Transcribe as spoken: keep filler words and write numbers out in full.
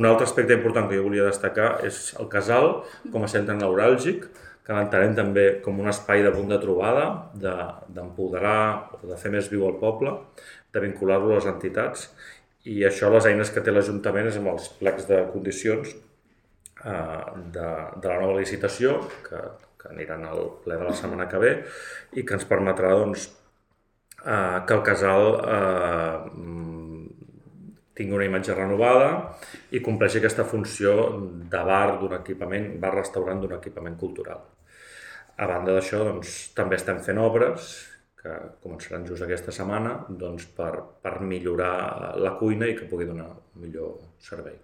Un altre aspecte important que jo volia destacar és el casal com a centre neuràlgic, que l'entenem també com un espai de punt de trobada, d'empoderar o de fer més viu el poble, de vincular-lo a les entitats, i això les eines que té l'Ajuntament és amb els plecs de condicions eh, de, de la nova licitació, que, que aniran al ple de la setmana que ve, i que ens permetrà doncs, eh, que el casal eh, tingui una imatge renovada i compleixi aquesta funció de bar d'un equipament, bar-restaurant d'un equipament cultural. A banda d'això, doncs, també estem fent obres que començaran just aquesta setmana doncs, per, per millorar la cuina i que pugui donar un millor servei.